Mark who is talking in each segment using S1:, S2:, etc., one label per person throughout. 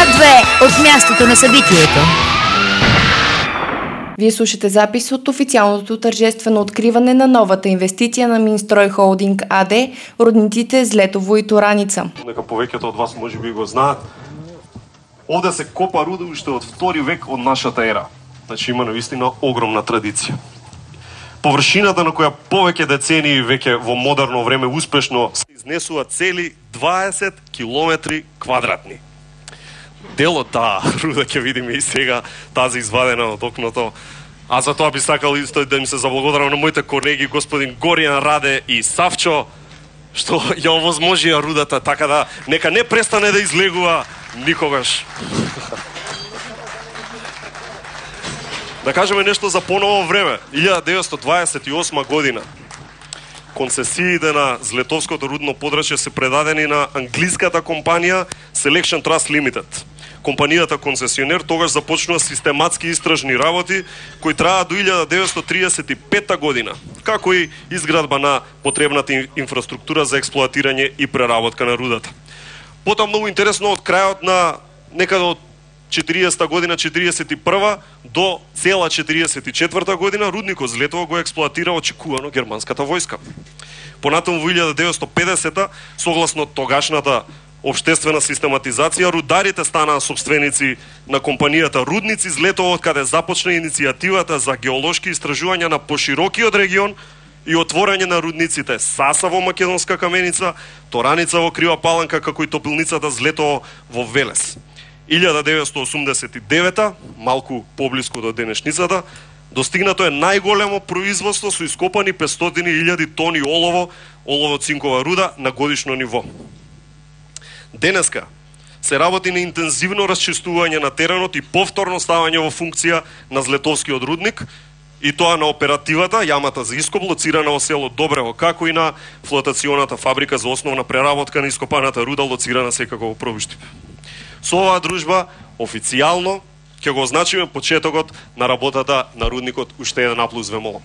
S1: 2 от мястото на събитието.
S2: Вие слушате запис от официалното тържествено откриване на новата инвестиция на Минстрой Холдинг АД, рудниците Злетово и Тураница.
S3: Нека повеќето од вас може би го знаат. Овде се копа руда уште од 2 век од нашата ера. Значи има навистина огромна традиција. Површината на која повеќе децении веќе во модерно време успешно се изнесува цели 20 километри квадратни. Дел од таа руда ќе видиме и сега, тази извадена од окното. А за тоа би сакал исто да им се заблагодарам на моите колеги господин Горијан Раде и Савчо, што ја овозможија рудата, така да нека не престане да излегува никогаш. Да кажеме нешто за поново време. 1928 година концесиите на Злетовското рудно подрачје се предадени на англиската компанија Selection Trust Limited. Компанијата концесионер тогаш започнува систематски истражни работи кои траат до 1935 година, како и изградба на потребната инфраструктура за експлоатирање и преработка на рудата. Потоа многу интересно од крајот на некаде од 40-та година, 41-та до цела 44-та година рудникот Злетово го експлоатира очекувано германската војска. Понатаму во 1950-та, согласно тогашната обштествена систематизација, рударите станаа собственици на компанијата Рудници Злетово, од каде започна иницијативата за геолошки истражувања на поширокиот регион и отворање на рудниците Саса во Македонска Каменица, Тораница во Крива Паланка, како и топилницата Злетово во Велес. 1989-та, малку поблиску до денешницата, достигнато е најголемо производство со ископани 500.000 тони олово, олово-цинкова руда на годишно ниво. Денеска се работи на интензивно расчистување на теренот и повторно ставање во функција на Злетовскиот рудник, и тоа на оперативата, јамата за ископ, лоцирана во село Добрево, како и на флотационата фабрика за основна преработка на ископаната руда, лоцирана секако во Пробуштип. Со оваа дружба официјално ќе го означиме почетокот на работата на рудникот уште еден аплауз ве молам.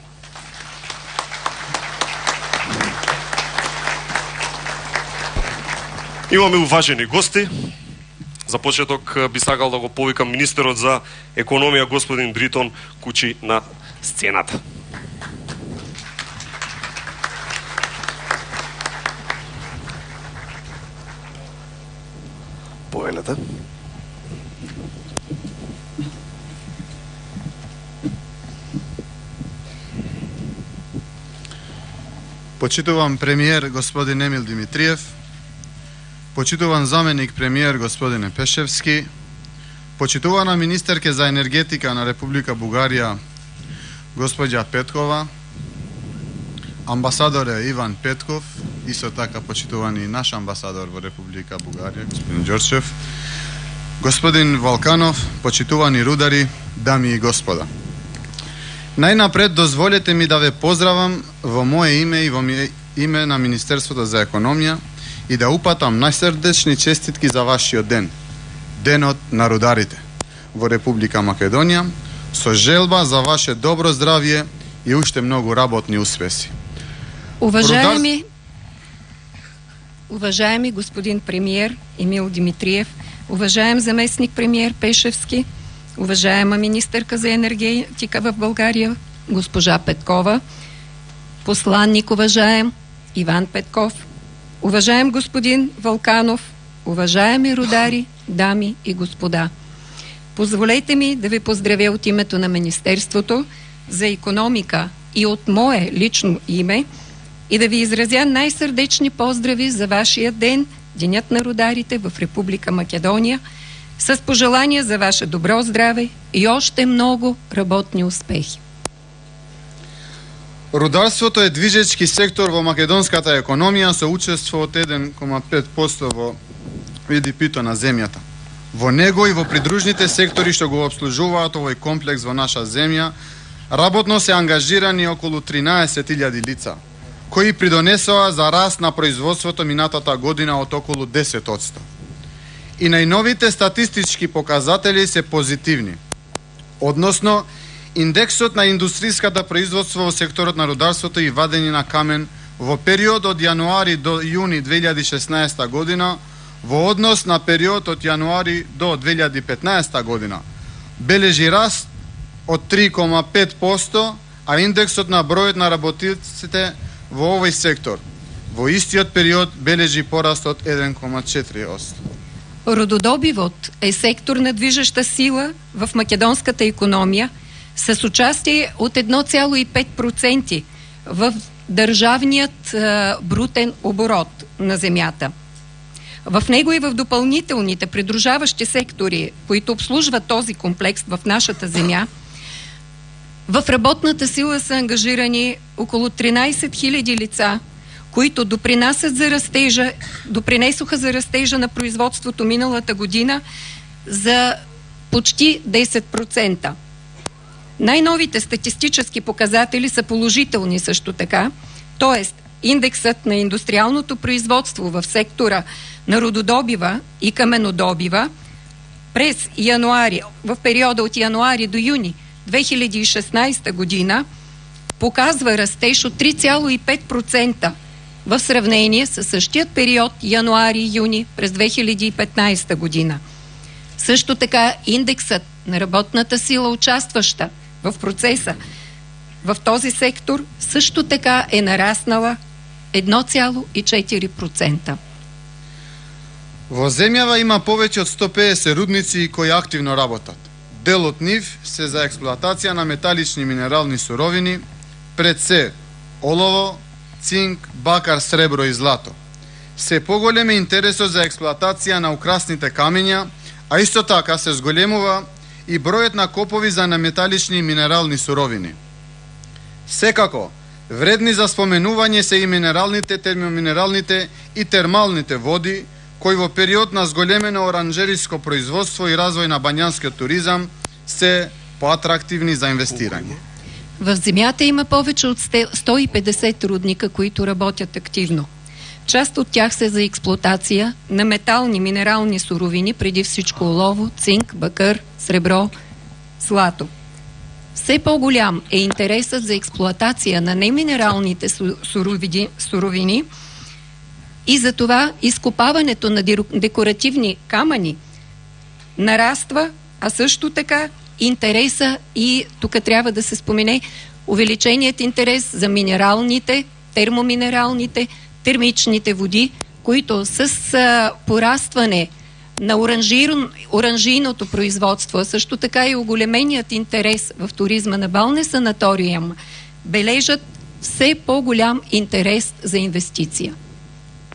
S3: Имаме уважени гости. За почеток би сакал да го повикам министерот за економија господин Дритон Кучи на сцената. Повелете.
S4: Почитуван премиер господин Емил Димитриев, почитуван заменик премиер господине Пешевски, почитувана министерке за енергетика на Република Бугарија господја Петкова, амбасадоре Иван Петков, исто така почитувани наш амбасадор во Република Бугарија господин Ѓорчев, господин Валканов, почитувани рудари, дами и господа. Најнапред дозволете ми да ве поздравам во мое име и во име на Министерството за економија и да упатам најсрдечни честитки за вашиот ден, денот на рударите во Република Македонија, со желба за ваше добро здравје и уште многу работни успеси.
S5: Уважаеми господин премиер Емил Димитриев, уважаем заместник премиер Пешевски, уважаема министерка за енергетика в България госпожа Петкова, посланник уважаем Иван Петков, уважаем господин Валканов, уважаеми рудари, дами и господа. Позволете ми да ви поздравя от името на Министерството за икономика и от мое лично име и да ви изразя най-сърдечни поздрави за вашия ден, Денят на рударите в Република Македония, с пожелания за ваше добро здраве и още много работни успехи.
S4: Рударството е движечки сектор во македонската економија со учество од 1,5% во ВДП-то на земјата. Во него и во придружните сектори што го обслужуваат овој комплекс во наша земја, работно се ангажирани околу 13.000 лица, кои придонесоа за раст на производството минатата година од околу 10%. И најновите статистички показатели се позитивни. Односно, индексот на индустријската производство во секторот на рударството и вадење на камен во период од јануари до јуни 2016 година во однос на период од јануари до 2015 година бележи раст од 3,5%, а индексот на бројот на работниците во овој сектор во истиот период бележи пораст од 1,4%.
S5: Рододобивот е секторна движеща сила в македонската економија с участие од 1,5% в државниот брутен оборот на земјата. В него и в допълнителните придружаващи сектори, които обслужват този комплекс в нашата земя, в работната сила са ангажирани около 13 000 лица, които допринесоха за растежа на производството миналата година за почти 10%. Най-новите статистически показатели са положителни също така, т.е. индексът на индустриалното производство в сектора на рододобива и каменодобива през януари, в периода от януари до юни 2016 година показва растеж от 3,5% в сравнение с същият период януари-юни през 2015 година. Също така индексът на работната сила, участваща в процеса в този сектор, също така е нараснала 1,4%.
S4: Во земјава има повеќе од 150 рудници кои активно работат. Дел од нив се за експлоатација на металични минерални суровини, пред се олово, цинк, бакар, сребро и злато. Се поголем е интересот за експлоатација на украсните камења, а исто така се зголемува и бројот на копови за неметалични и минерални суровини. Секако, вредни за споменување се и минералните, термоминералните и термалните води, кои во период на зголемено оранжериско производство и развој на бањанскиот туризам се поатрактивни за инвестирање.
S5: В земјата има повече от 150 рудника, които работят активно. Част от тях са за експлоатация на метални минерални суровини, преди всичко олово, цинк, бакър, сребро, злато. Все по-голям е интересът за експлоатация на неминералните суровини и за това изкопаването на декоративни камъни нараства, а също така интереса и тук трябва да се спомене увеличеният интерес за минералните, термоминералните, термичните води, които с порастване на оранжийното производство, а също така и оголеменият интерес в туризма на балне санаториум, бележат все по-голям интерес за инвестиция.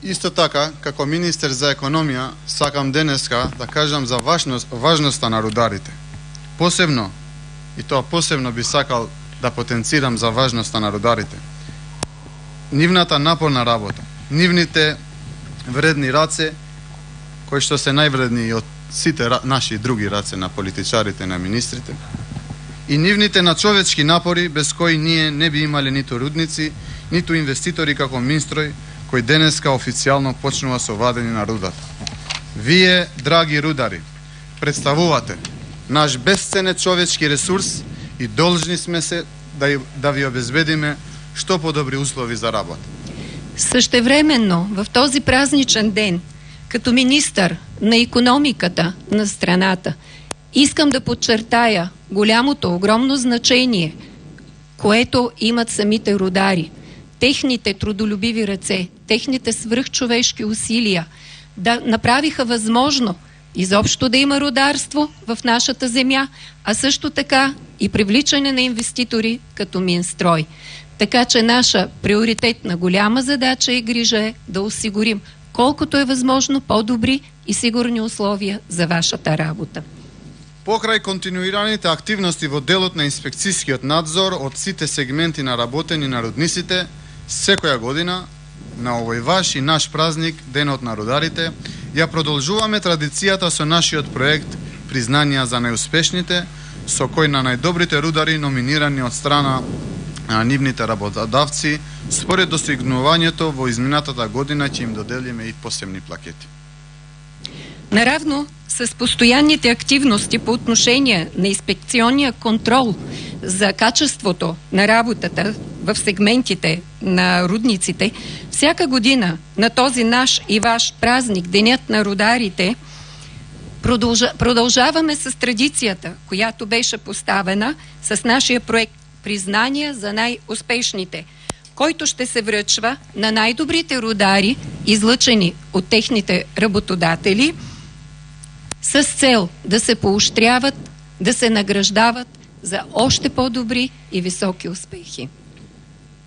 S4: Исто така, како министер за економија, сакам денеска да кажам за важноста на рударите. Посебно, и тоа посебно би сакал да потенцирам за важноста на рударите. Нивната напорна работа, нивните вредни раце, кои што се највредни од сите наши други раце на политичарите, на министрите, и нивните начовечки напори, без кои ние не би имале ниту рудници, ниту инвеститори како Минстрој, кој денеска официјално почнува со вадење на рудата. Вие, драги рудари, представувате наш бесценен човечки ресурс и должни сме се да ви обезбедиме што подобри услови за работа.
S5: Същевременно, в този празничен ден, като министър на икономиката на страната, искам да подчертая голямото, огромно значение, което имат самите рудари, техните трудолюбиви ръце, техните свръхчовешки усилия да направиха възможно изобщо да има рударство в нашата земя, а също така и привличане на инвеститори като Минстрой. Така че наша приоритетна голяма задача и грижа е да осигурим колкото е възможно по-добри и сигурни условия за вашата работа.
S4: Покрај континуираните активности во делот на инспекцијскиот надзор од сите сегменти на работени на рудниците, секоја година на овој ваш и наш празник, Денот на рударите, ја продолжуваме традицијата со нашиот проект Признанија за најуспешните, со кој на најдобрите рудари номинирани од страна на нивните работодавци, според достигнувањето во изминатата година ќе им доделиме и посебни плакети.
S5: Наравно с постоянните активности по отношение на инспекционния контрол за качеството на работата в сегментите на рудниците, всяка година на този наш и ваш празник, Денят на рударите, продължаваме с традицията, която беше поставена с нашия проект Признания за най-успешните, който ще се връчва на най-добрите рудари, излъчени от техните работодатели, с цел да се поощряват, да се награждават за още по-добри и високи успехи.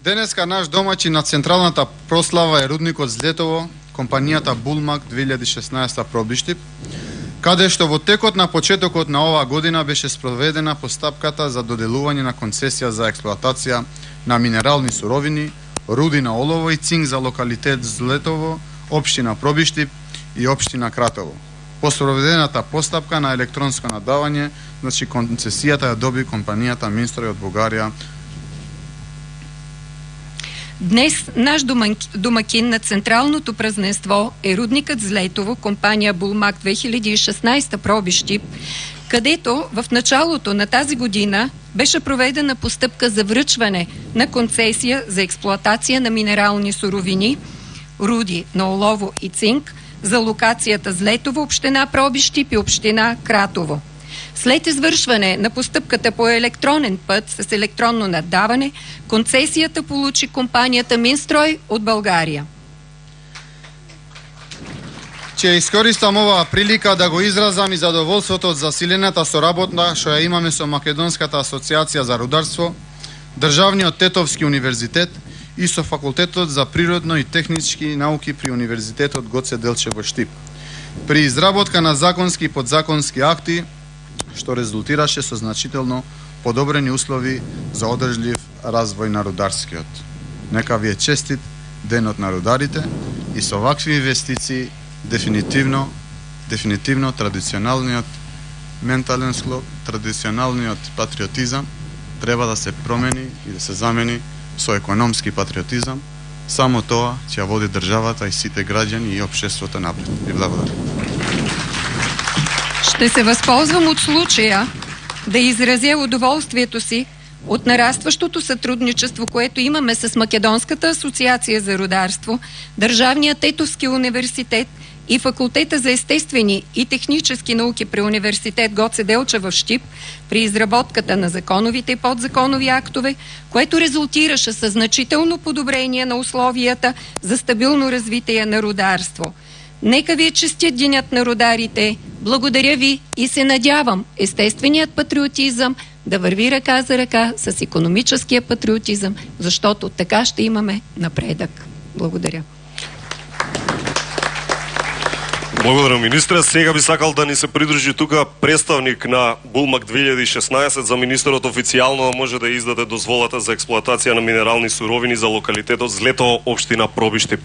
S4: Денеска наш домаќин на централната прослава е рудникот Злетово, компанијата Булмак 2016 Пробиштип, каде што во текот на почетокот на оваа година беше спроведена постапката за доделување на концесија за експлоатација на минерални суровини, руди на олово и цинк за локалитет Злетово, општина Пробиштип и општина Кратово. По спроведената постапка на електронско надавање, значи концесијата ја доби компанијата Минстрој од Бугарија.
S5: Днес наш домакин на централното празненство е рудникът Злетово, компания Булмак 2016 Пробиштип, където в началото на тази година беше проведена постъпка за връчване на концесия за експлоатация на минерални суровини, руди на олово и цинк за локацията Злетово, община Пробиштип и община Кратово. След извършване на постъпката по електронен път с електронно наддаване, концесията получи компанията Минстрой от България.
S4: Ќе искористам оваа прилика да го изразам и задоволството од засилената соработна што ја имаме со Македонската асоциација за рударство, Државниот Тетовски универзитет и со Факултетот за природно и технички науки при Универзитетот Гоце Делчев во Штип, при изработка на законски и подзаконски акти, што резултираше со значително подобрени услови за одржлив развој на рударскиот. Нека ви е честит Денот на рударите и со вакви инвестиции дефинитивно традиционалниот ментален склоп, традиционалниот патриотизам треба да се промени и да се замени со економски патриотизам. Само тоа ќе води државата и сите граѓани и општеството напред. Ви благодарам.
S5: Ще се възползвам от случая да изразя удоволствието си от нарастващото сътрудничество, което имаме с Македонската асоциация за рударство, Държавния Тетовски университет и Факултета за естествени и технически науки при Университет Гоце Делчев в Штип при изработката на законовите и подзаконови актове, което резултираше със значително подобрение на условията за стабилно развитие на рударство. Нека ви е честит Денят на рударите. Благодаря ви и се надявам естественият патриотизъм да върви ръка за ръка с икономическия патриотизъм, защото така ще имаме напредък. Благодаря.
S3: Благодарам, министре. Сега би сакал да ни се придружи тука представник на Булмак 2016 за министерот официјално да може да издаде дозволата за експлоатација на минерални суровини за локалитетот Злетово, општина Пробиштип.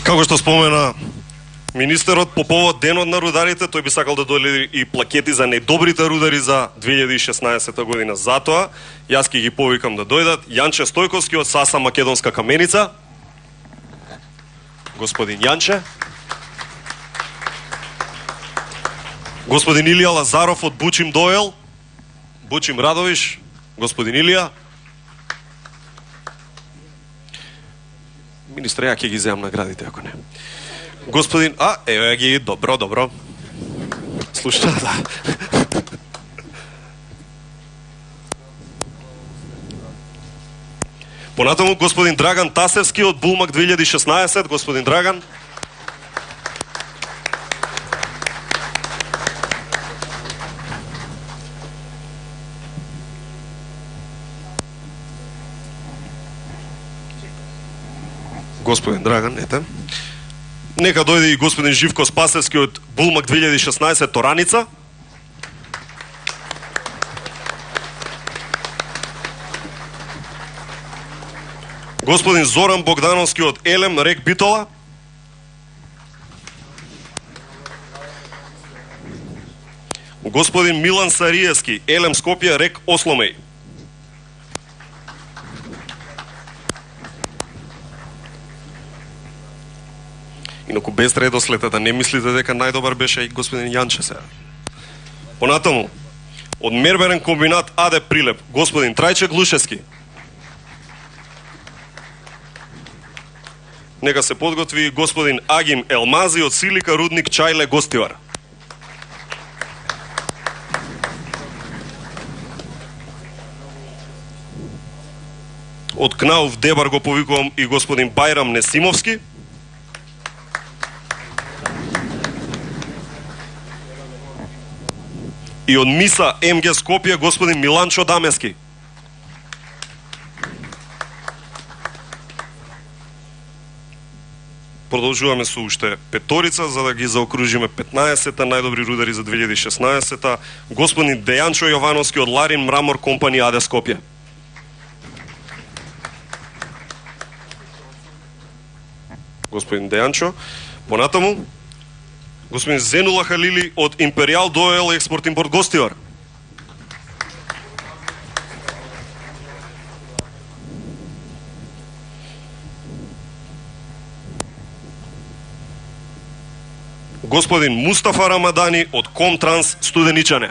S3: Како што спомена министерот, по повод Денот на рударите, тој би сакал да додели и плакети за најдобрите рудари за 2016 година. Затоа, јас ќе ги повикам да дојдат Јанче Стојковски од САСА Македонска каменица. Господин Јанче. Господин Илија Лазаров од Бучим Доел. Бучим Радовиш. Господин Илија. Министре, ја ќе ги земам наградите, ако не. Господин... еве ги, добро. Слушате, да. Понатаму, господин Драган Тасевски од Булмак 2016. Господин Драган. господин Драган, ете. Нека дојде и господин Живко Спасевски од Булмак 2016 Тораница. Господин Зоран Богдановски од Елем Рек Битола. Господин Милан Сариевски, Елем Скопје Рек Осломеј. Инаку без редослед, да не мислите дека најдобар беше и господин Јанче сега. Понатаму, од Мерберен комбинат АД Прилеп, господин Трајче Глушевски. Нека се подготви господин Агим Елмази од Силика рудник Чајле Гостивар. Од Кнауф Дебар го повикувам и господин Бајрам Несимовски. И од Миса МГ Скопје господин Миланчо Дамески. Продолжуваме со уште петорица за да ги заокружиме 15-та најдобри рудари за 2016-та. Господин Дејанчо Јовановски од Ларин Мрамор компани АД Скопје. Господин Дејанчо, понатаму господин Зенула Халили од Империјал Доел Експорт Импорт Гостивар. Господин Мустафа Рамадани од Комтранс Студеничане.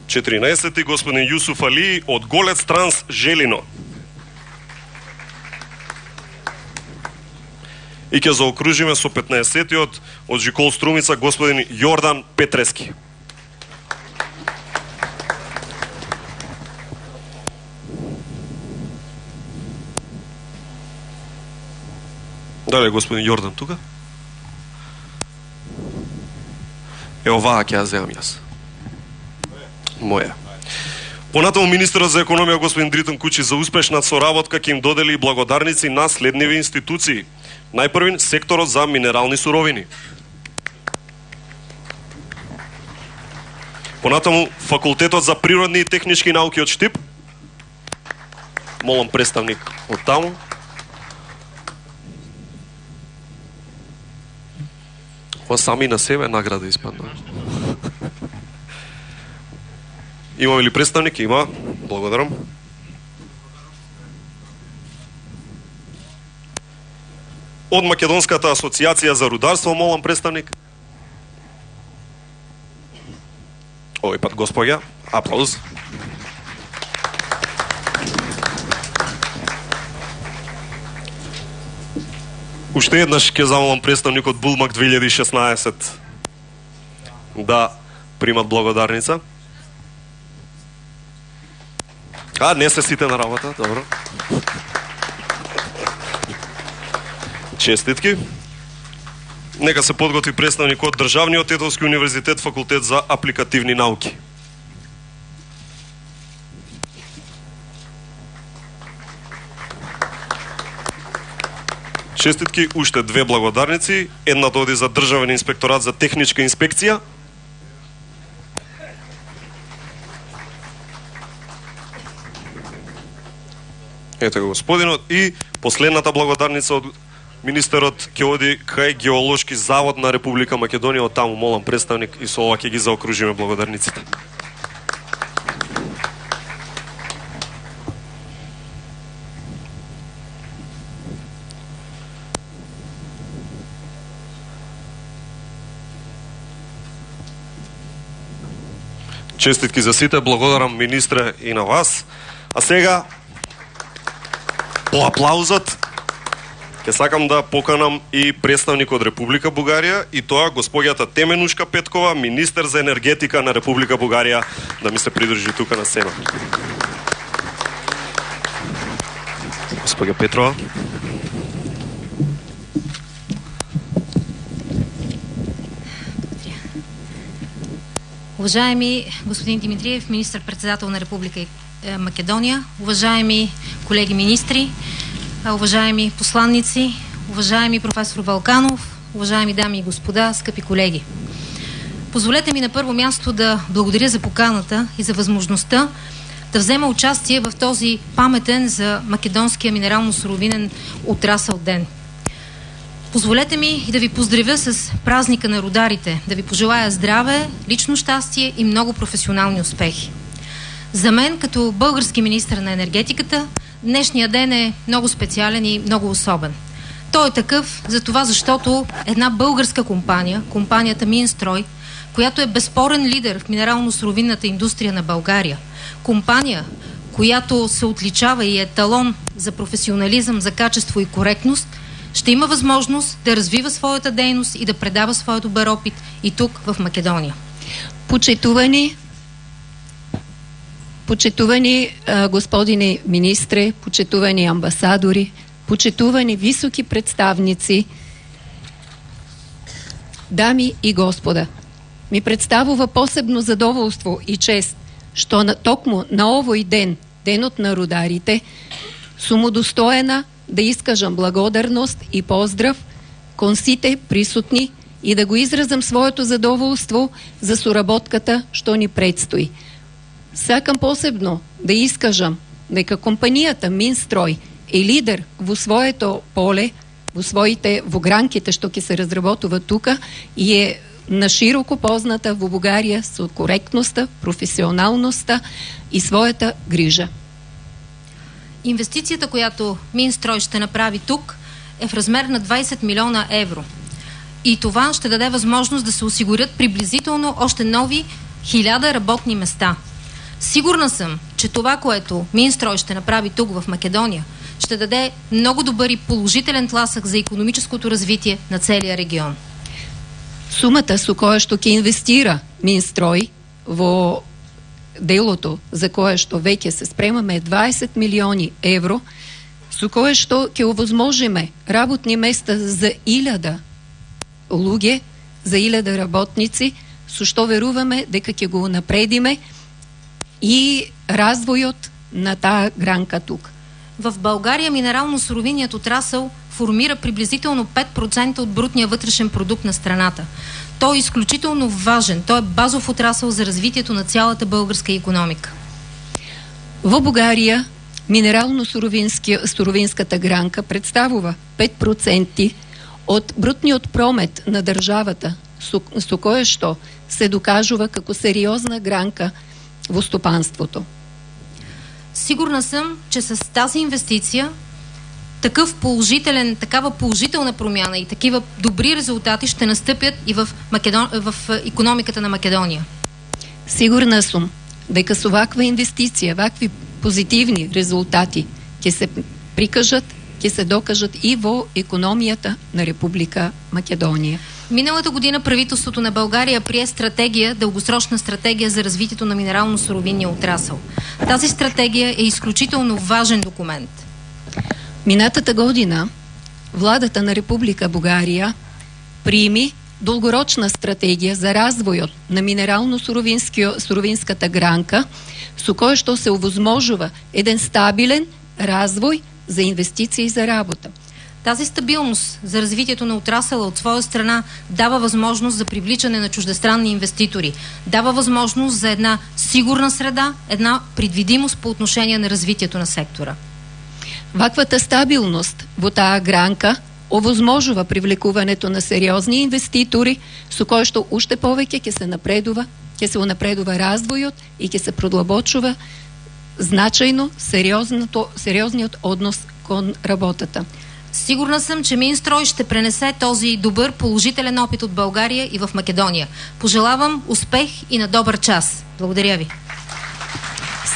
S3: Четиринаесети господин Јусуф Али од Голец Транс Желино. И ќе заокружиме со 15-тиот од Жикол Струмица господин Јордан Петрески. Дали господин Јордан тука? Оваа ќе ја земам јас. Моја. Понатаму министерот за економија господин Дритон Кучи за успешна соработка ќе им додели благодарници на следниви институции. Најпрвин, секторот за минерални суровини. Понатаму, факултетот за природни и технички науки од Штип. Молам представник од таму. Ова сами на себе награда испадна. Имаме ли представник? Има. Благодарам. Од Македонската асоциација за рударство, молам представник. Овој пат госпоѓа. Аплауз. Уште еднаш ќе замолам представник од Булмак 2016 да примат благодарница. Не се сите на работа, добро. Честитки. Нека се подготви представник од Државниот Тетовски универзитет, факултет за апликативни науки. Честитки, уште две благодарници. Едната оди за Државен инспекторат за техничка инспекција. Ето го господинот. И последната благодарница од министерот ќе оди кај Геолошки завод на Република Македонија. Од таму молам представник и со ова ќе ги заокружиме благодарниците. Честитки за сите, благодарам министре и на вас. А сега по аплаузот ќе сакам да поканам и представник од Република Бугарија, и тоа госпоѓата Теменушка Петкова, министер за енергетика на Република Бугарија, да ми се придружи тука на сцена. Госпоѓа Петрова.
S6: Уважаеми господин Димитриев, министър-председател на Република Македония, уважаеми колеги министри, уважаеми посланници, уважаеми професор Балканов, уважаеми дами и господа, скъпи колеги. Позволете ми на първо място да благодаря за поканата и за възможността да взема участие в този паметен за македонския минерално-суровинен отрасъл ден. Позволете ми и да ви поздравя с празника на рударите, да ви пожелая здраве, лично щастие и много професионални успехи. За мен, като български министър на енергетиката, днешния ден е много специален и много особен. Той е такъв за това, защото една българска компания, компанията Минстрой, която е безспорен лидер в минерално-суровинната индустрия на България, компания, която се отличава и е талон за професионализъм, за качество и коректност, ще има възможност да развива своята дейност и да предава своя добър опит и тук в Македония.
S5: Почитувани господине министре, почитувани амбасадори, почитувани високи представници, дами и господа, ми представува посебно задоволство и чест, што токму на овој ден, денот на рударите, сум удостоена да искажам благодарност и поздрав кон сите присутни и да го изразам своето задоволство за соработката што ни предстои. Сакам посебно да искажам дека компанијата Минстрой е лидер во своето поле, во гранките што ќе се разработува тука и е нашироко позната во Бугарија со коректноста, професионалноста и своята грижа.
S6: Инвестицията, която Минстрой ще направи тук, е в размер на 20 милиона евро. И това ще даде възможност да се осигурят приблизително още нови 1000 работни места. Сигурна съм, че това, което Минстрой ще направи тук в Македония, ще даде много добър и положителен тласък за икономическото развитие на целия регион.
S5: Сумата со која што ќе инвестира Минстрой во делото за кое што веќе се спремаме 20 милиони евро, со кое што ќе овозможиме работни места за 1000 луѓе, за 1000 работници, со што веруваме дека ќе го напредиме и развојот на таа гранка тук.
S6: В България минерално-суровинният отрасъл формира приблизително 5% от брутния вътрешен продукт на страната. Той е изключително важен, той е базов отрасъл за развитието на цялата българска икономика.
S5: Во Бугарија минерално-суровинската гранка представува 5% од брутниот промет на државата, со кое што се докажува како сериозна гранка во стопанството.
S6: Сигурна съм, че с тази инвестиция такава положителна промяна и такива добри резултати ще настъпят и в икономиката на Македония.
S5: Сигурна съм дека со ваква инвестиција, вакви позитивни резултати ќе се прикажат, ќе се докажат и во икономијата на Република Македонија.
S6: Миналата година правителството на България прие дългосрочна стратегия за развитието на минерално-суровинния отрасъл. Тази стратегия е изключително важен документ.
S5: Минатата година владата на Република Бугарија прими долгорочна стратегија за развојот на минерално-суровинската гранка, со која што се овозможува еден стабилен развој за инвестиции и за работа.
S6: Тази стабилност за развитието на отрасъла от своя страна дава възможност за привличане на чуждестранни инвеститори, дава възможност за една сигурна среда, една предвидимост по отношение на развитието на сектора.
S5: Ваквата стабилност во таа гранка овозможува привлекувањето на сериозни инвеститори, со кој што уште повеќе ќе се напредува развојот и ќе се продлабочува значајно сериозниот однос кон работата.
S6: Сигурна съм, че Минстрой ще пренесе този добър положителен опит от България и в Македония. Пожелавам успех и на добър час. Благодаря ви.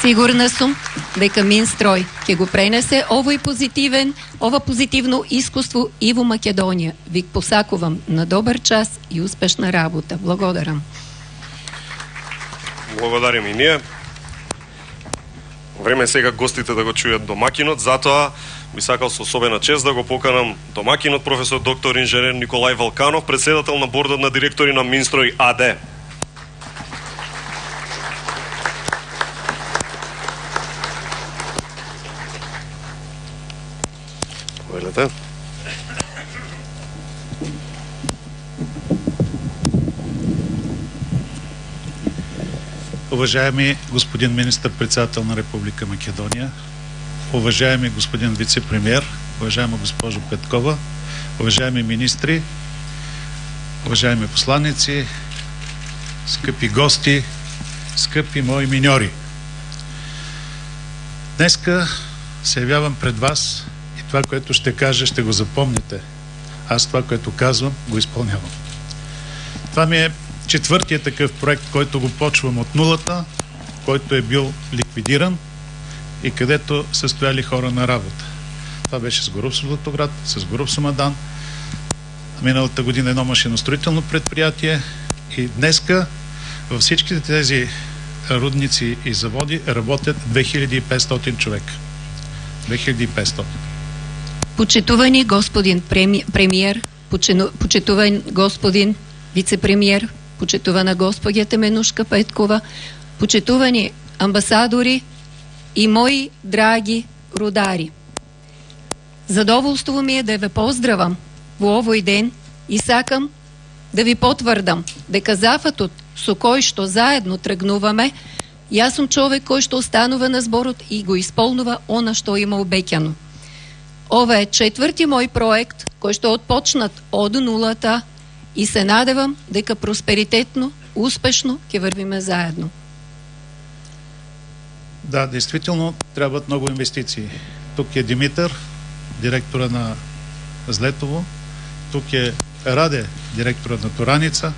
S5: Сигурна сум дека Минстрой ќе го пренесе ова позитивно искуство и во Македонија. Ви посакувам на добар час и успешна работа. Благодарам.
S3: Благодарим и ние. Време е сега гостите да го чујат домакинот, затоа би сакал со особена чест да го поканам домакинот професор доктор инженер Николај Валканов, председател на бордот на директори на Минстрой АД. Заповедете.
S7: Уважаеми господин министър-председател на Република Македония, уважаеми господин вице-премиер, уважаема госпожо Петкова, уважаеми министри, уважаеми посланици, скъпи гости, скъпи мои миньори. Днеска се явявам пред вас и това, което ще кажа, ще го запомните. Аз това, което казвам, го изпълнявам. Това ми е четвъртият такъв проект, който го почвам от нулата, който е бил ликвидиран и където са стояли хора на работа. Това беше с Горуб Златоград, с Горуб Самадан. Миналата година едно машиностроително предприятие и днеска във всичките тези рудници и заводи работят 2500 човека. 2500.
S5: Почитувани господин премиер, почитуван господин вице-премиер, почитувана госпожа Теменушка Петкова, почитувани амбасадори и мои драги рудари. Задоволство ми е да ве поздравам во овој ден и сакам да ви потврдам дека зафатот со кој што заедно тргнуваме, јас сум човек кој што останува на зборот и го исполнува она што има обеќано. Ова е четврти мој проект кој што отпочнат од нулата и се надевам дека просперитетно, успешно ќе вървиме заедно.
S7: Да, действително трябват много инвестиции. Тук е Димитър, директора на Злетово, тук е Раде, директора на Тураница,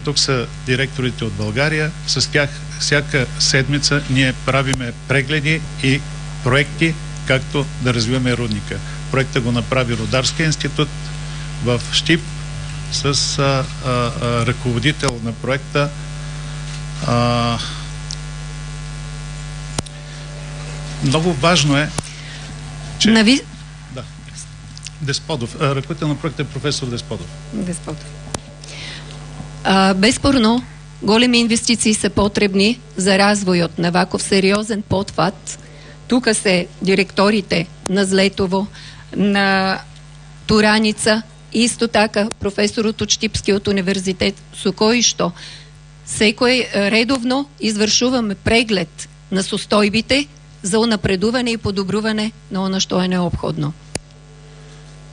S7: тук са директорите от България. С тях всяка седмица ние правиме прегледи и проекти, както да развиваме рудника. Проекта го направи Рударския институт в Щип с ръководител на проекта много важно е, че... Да. Десподов. Ръководител на проекта е професор Десподов.
S5: Безспорно, големи инвестиции са потребни за развојот на ваков сериозен потват. Тука се директорите на Злетово, на Тураница, исто така професорот од Штипскиот универзитет, со кој што секој редовно извршуваме преглед на состојбите за унапредување и подобрување на оно што е необходно.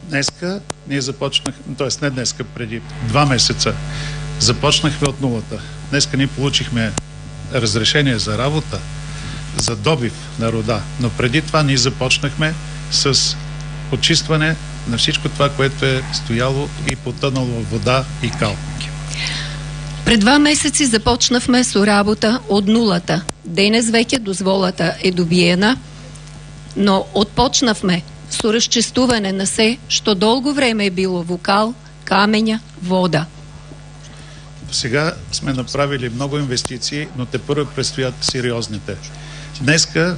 S7: Днеска ние започнахме, т.е. не днеска, преди 2 месеца започнахме от нулата. Днеска ние получихме разрешение за работа, за добив на руда, но преди това ние започнахме с почистване на всичко това, което е стояло и потънало в вода и кал.
S5: Пред 2 месеци започнавме со работа од нулата. Денес веќе дозволата е добиена, но отпочнавме со разчистување на се што долго време е било во кал, камења, вода.
S7: Сега сме направили много инвестиции, но те първо предстоят сериозните. Днеска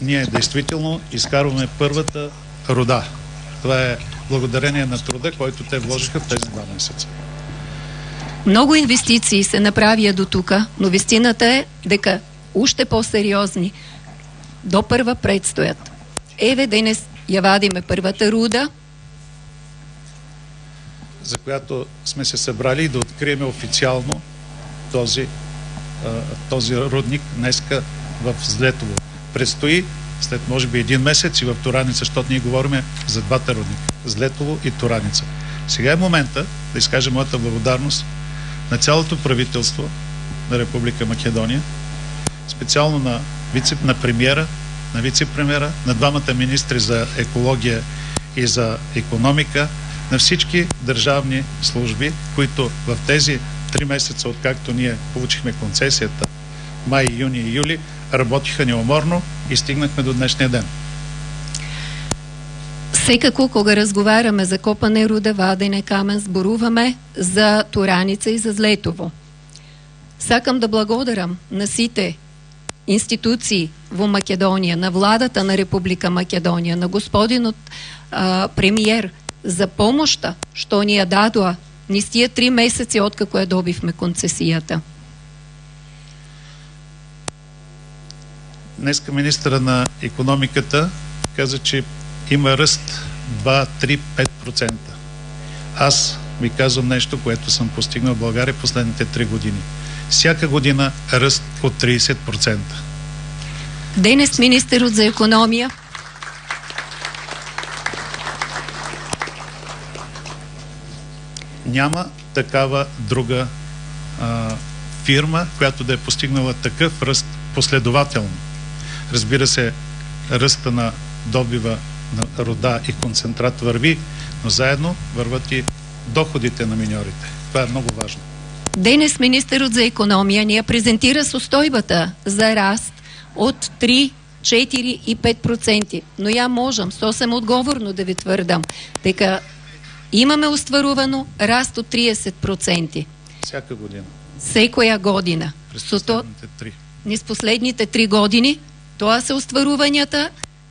S7: ние действително изкарваме първата руда. Това е благодарение на труда, който те вложиха в тези 2 месеца.
S5: Много инвестиции се направија до тука, но вистината е дека уште по-сериозни до прва предстоят. Еве денес ја вадиме првата руда,
S7: за която сме се събрали да открием официално този рудник днеска в Злетово. Предстои след може би 1 месец и в Тураница, защото ние говорим за двата рудника – Злетово и Тураница. Сега е момента да изкажа моята благодарност на цялото правителство на Република Македония, специално на премиера, на вице-премиера, на двамата министри за екология и за икономика, на всички държавни служби, които в тези 3 месеца, откакто ние получихме концесията, май, юни и юли, работиха неуморно и стигнахме до днешния ден.
S5: Секако, кога разговараме за копане руда, вадене камен, зборуваме за Тураница и за Злетово. Сакам да благодарам на сите институции во Македонија, на владата на Република Македонија, на господинот премиер за помошта што ни ја дадоа низ тие 3 месеци откако ја добивме концесијата.
S7: Днеска министъра на икономиката каза, че има ръст 2, 3, 5%. Аз ви казвам нещо, което съм постигнал в България последните 3 години. Всяка година ръст от 30%.
S5: Денес министърът за економия.
S7: Няма такава друга фирма, която да е постигнала такъв ръст последователно. Разбира се, ръста на добива на руда и концентрат върви, но заедно върват и доходите на миньорите. Това е много важно.
S5: Денес министърът за економия ни презентира устойбата за раст от 3, 4 и 5%. Но я можем съвсем отговорно да ви твърдам, дека имаме остварувано раст от 30%.
S7: Всяка година.
S5: Секоја година. Низ последните 3 години, тоа се остварувањата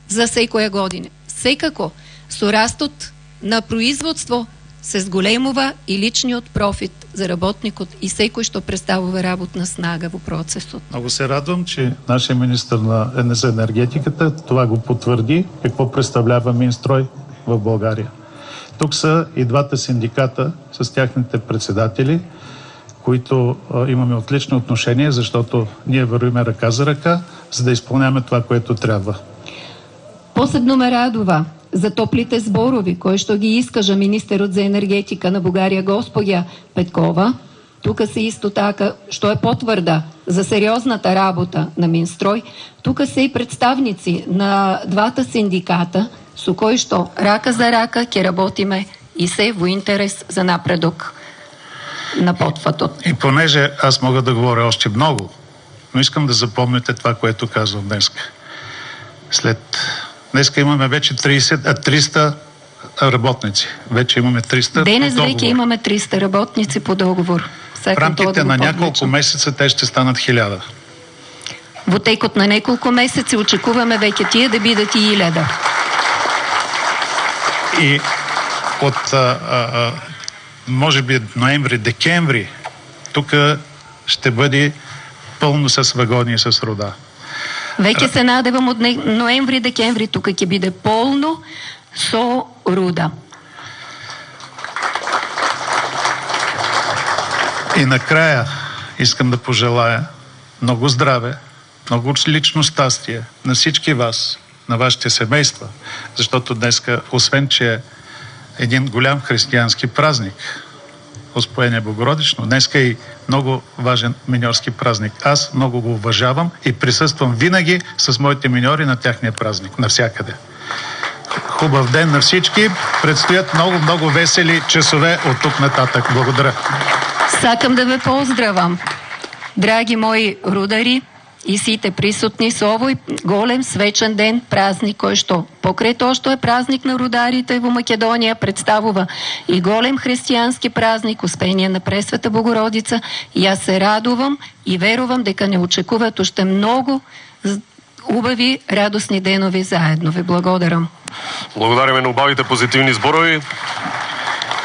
S5: за секоја година. Секако, со растот на производство се зголемува и личниот профит за работникот и секој што представува работна снага во процесот.
S7: Много се радвам, че нашия министър на енергетиката това го потвърди, какво представлява Минстрой в България. Тук са и двата синдиката с тяхните председатели, които имаме отлични отношения, защото ние вървиме ръка за ръка, за да изпълняваме това, което трябва.
S5: Посебно ме радува за топлите зборови, кои што ги искажа министерот за енергетика на Бугарија госпоѓа Петкова. Тука се исто така, што е потврда за сериозната работа на Минстрой. Тука се и представници на двата синдиката, со кои што рака за рака ќе работиме и се во интерес за напредок на потфатот.
S7: И понеже аз мога да говоря още много, но искам да запомните това, което казвам днеска. Днеска имаме вече 300 работници. Вече имаме 300
S5: Денес веќе имаме 300 работници по договор.
S7: В рамките на няколко месеца те ще станат 1000.
S5: Во текот на неколку месеци очекуваме веќе тие да бидат и 1000.
S7: И от може би ноември-декември тук ще бъде пълно с вагони и с руда.
S5: Веќе се надевам од ноември-декември тука ќе биде полно со руда.
S7: И накрая искам да пожелая много здраве, много лично щастие на всички вас, на вашите семейства, защото днеска, освен че е един голям християнски празник, Успоение Богородично, днеска е и много важен миньорски празник. Аз много го уважавам и присъствам винаги с моите миньори на тяхния празник, навсякъде. Хубав ден на всички. Предстоят много весели часове от тук нататък. Благодаря.
S5: Сакам да ве поздравам, драги мои рудари и сите присутни со овој голем свечен ден, празник кој што покрај тоа што е празник на рударите во Македонија представува и голем християнски празник, Успение на Пресвета Богородица. И јас се радувам и верувам дека не очекуваат уште многу убави, радосни денови заедно. Ви благодарам.
S3: Благодариме на убавите позитивни зборови.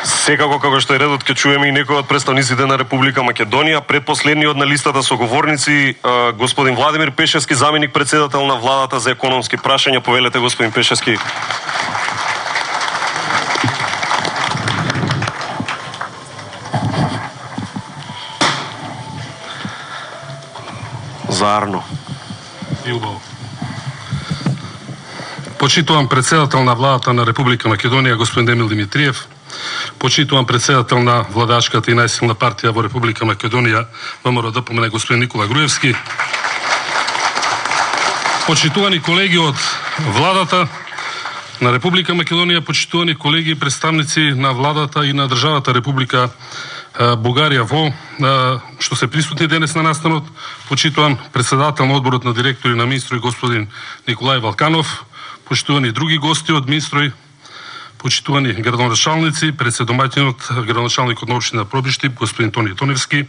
S3: Секако, како што е редот, ќе чуеме и некои од представниците на Република Македонија. Предпоследниот на листата со говорници, господин Владимир Пешевски, заменик председател на владата за економски прашања. Повелете, господин Пешевски. Заарно.
S8: Илбао. Почитувам председател на владата на Република Македонија, господин Емил Димитриев. Почитувам председател на владачката и најсилна партија во Република Македонија, ВМРО ДПМНЕ, господин Никола Груевски. Почитувани колеги од владата на Република Македонија, почитувани колеги и представници на владата и на државата Република Бугарија што се присутни денес на настанот. Почитувам председател на одборот на директори на Минстрој, господин Николај Валканов. Почитувани други гости од Минстрој, почитувани градоначалници, председомаќинот, градоначалникот на општина Пробишти, господин Тони Тоневски,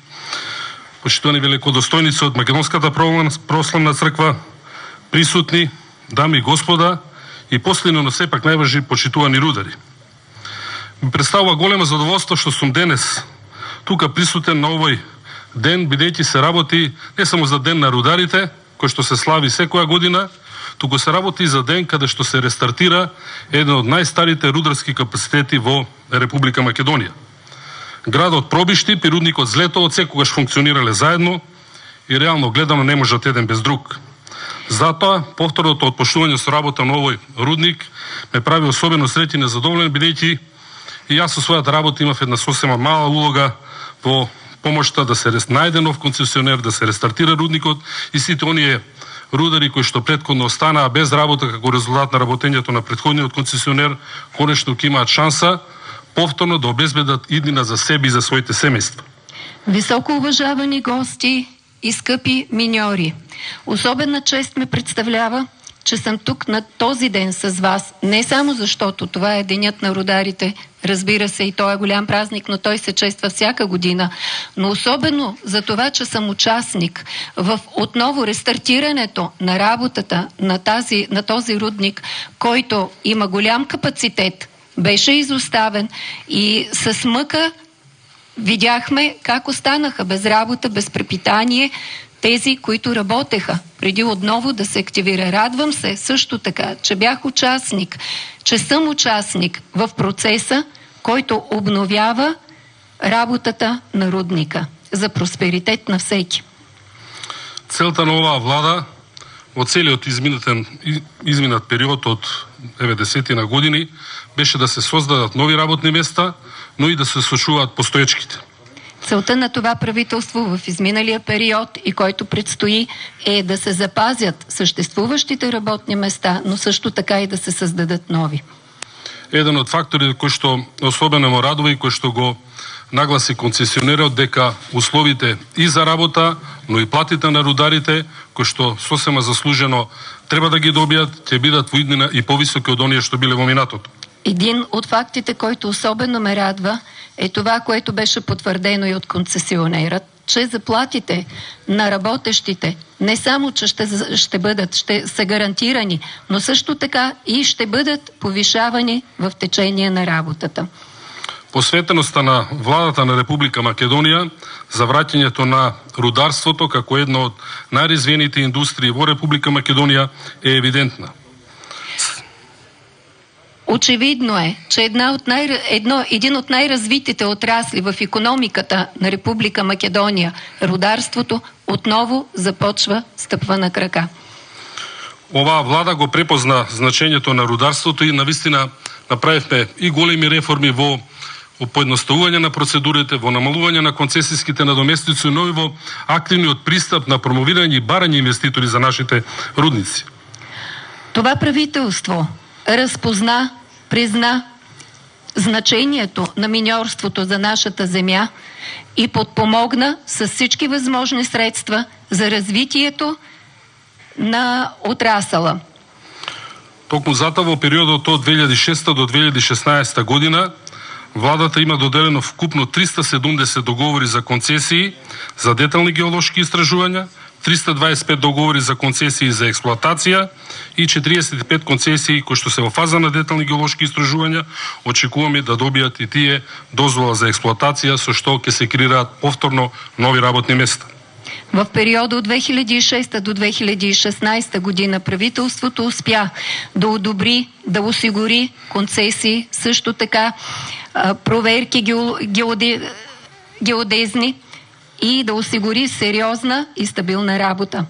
S8: почитувани великодостојници од Македонската православна црква, присутни, дами и господа, и последно, но сепак најважни, почитувани рудари. Ми представува голема задоволство што сум денес тука присутен на овој ден, бидејќи се работи не само за ден на рударите, кој што се слави секоја година, туку се работи за ден каде што се рестартира еден од најстарите рударски капацитети во Република Македонија. Градот Пробиштип и рудникот Злето отсекогаш функционирале заедно и реално гледано не можат еден без друг. Затоа, повторното отпочнување со работа на овој рудник ме прави особено среќен и задоволен, бидејќи и јас со својата работа имав една сосема мала улога во помошта да се најде нов концесионер, да се рестартира рудникот и сите оние рудари кои што претходно останаа без работа како резултат на работењето на претходниот концесионер, конечно ќе имаат шанса повторно да обезбедат иднина за себе и за своите семејства.
S5: Високо уважавани гости и скъпи миньори, особена чест ме представлява, че съм тук на този ден с вас, не само защото това е денят на рударите, разбира се, и той е голям празник, но той се чества всяка година, но особено за това, че съм участник в отново рестартирането на работата на този рудник, който има голям капацитет, беше изоставен и с мъка видяхме как останаха без работа, без препитание тези, които работеха, преди отново да се активира. Радвам се също така, че бях участник, че съм участник в процеса, който обновява работата на рудника за просперитет на всеки.
S8: Целта на оваа влада во целиот изминат период од 90-ти на години беше да се создадат нови работни места, но и да се сочуваат постоечките.
S5: Целта на това правителство в изминалия период и който предстои е да се запазят съществуващите работни места, но също така и да се създадат нови.
S8: Еден од факторите кој што особено ме радува и кој што го нагласи концесионерот дека условите и за работа, но и платите на рударите, кои што сосема заслужено треба да ги добијат, ќе бидат во иднина и повисоки од оние што биле во минатото.
S5: Един от фактите, който особено ме радва, е това, което беше потвърдено и от концесионерът, че заплатите на работещите не само, че ще са гарантирани, но също така и ще бъдат повишавани в течение на работата.
S8: Посветеността на владата на Република Македонија за враќањето на рударството како една од најразвиените индустрии во Република Македонија е евидентна.
S5: Очевидно е, че един от най-развитите отрасли в икономиката на Република Македония, рударството, отново започва стъпва на крака.
S8: Оваа влада го препозна значењето на рударството и навистина направивме и големи реформи во поедноставување на процедурите, во намалување на концесиските надоместици, но и во активниот пристап на промовирање и барање инвеститори за нашите рудници.
S5: Това правителство разпозна, призна значението на миньорството за нашата земя и подпомогна с всички възможни средства за развитието на отрасъла.
S8: Токму затоа во периодот од 2006 до 2016 година владата има доделено вкупно 370 договори за концесии за детални геолошки истражувања, 325 договори за концесии за експлоатација и 45 концесии кои што се во фаза на детални геолошки истражувања. Очекуваме да добијат и тие дозвола за експлоатација, со што ќе се креираат повторно нови работни места.
S5: В периода от 2006 до 2016 година правителството успя да одобри, да осигури концесии, също така проверки геодезни и да осигури сериозна и стабилна работа.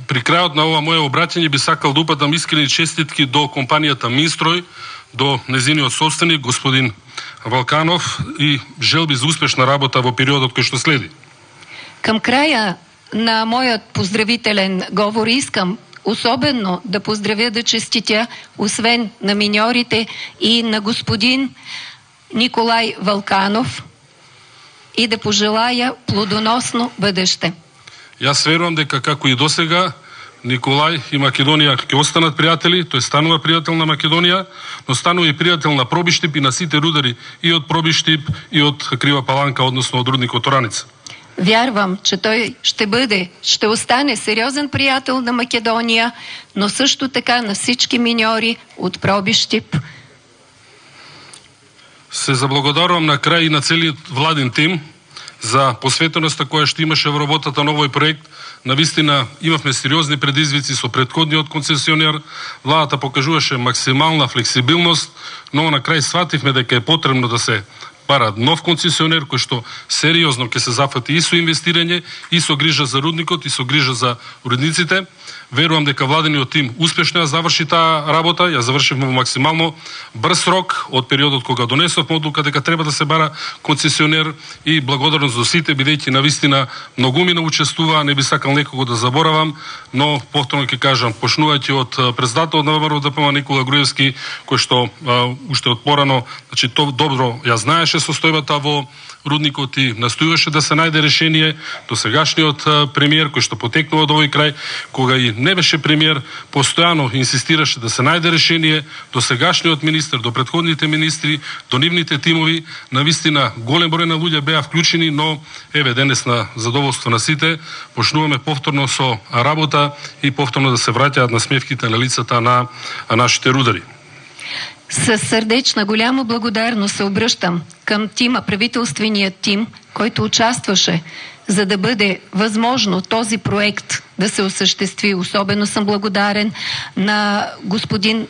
S8: При крајот на ова моје обраќање би сакал да упатам искрени честитки до компанијата Минстрој, до незиниот собственик господин Валканов и желби за успешна работа во периодот кој што следи.
S5: Към края на моят поздравителен говор искам особено да поздравя, да честитя, освен на миньорите и на господин Николай Валканов, и да пожелая плодоносно бъдеще.
S8: Јас верувам дека како и досега Николај и Македонија ќе останат пријатели, тој станува пријател на Македонија, но станува и пријател на Пробиштип и на сите рудари и од Пробиштип и од Крива Паланка, односно од рудникот Ораница.
S5: Вярвам, че той ще остане сериозен приятел на Македония, но също така на всички миньори от Пробиштип.
S8: Се заблагодарувам на крај и на целиот владин тим за посветеноста која што имаше во работата на овој проект. Навистина имавме сериозни предизвици со претходниот концесионер. Владата покажуваше максимална флексибилност, но на крај свативме дека е потребно да се бара нов концесионер кој што сериозно ќе се зафати и со инвестирање, и со грижа за рудникот, и со грижа за рудниците. Верувам дека владениот тим успешно ја заврши таа работа, ја завршивме во максимално брз рок од периодот кога донесовме одлука дека треба да се бара концесионер, и благодарност до сите, бидејќи навистина многумина учествуваа, не би сакал некого да заборавам, но повторно ќе кажам, почнувајќи од председателот на ВМРО ДПМ Никола Груевски, кој што уште од порано, значи добро ја знаеше состојбата во рудникот и настојуваше да се најде решение. До сегашниот премиер кој што потекнува од овој крај, кога и не беше премиер, постојано инсистираше да се најде решение. До сегашниот министер, до претходните министри, до нивните тимови, навистина голем број на луѓе беа вклучени, но еве денес на задоволство на сите почнуваме повторно со работа и повторно да се враќаат насмевките на лицата на нашите рудари.
S5: Със сърдечна голяма благодарност се обръщам към тима, правителственият тим, който участваше, за да бъде възможно този проект да се осъществи. Особено съм благодарен на господин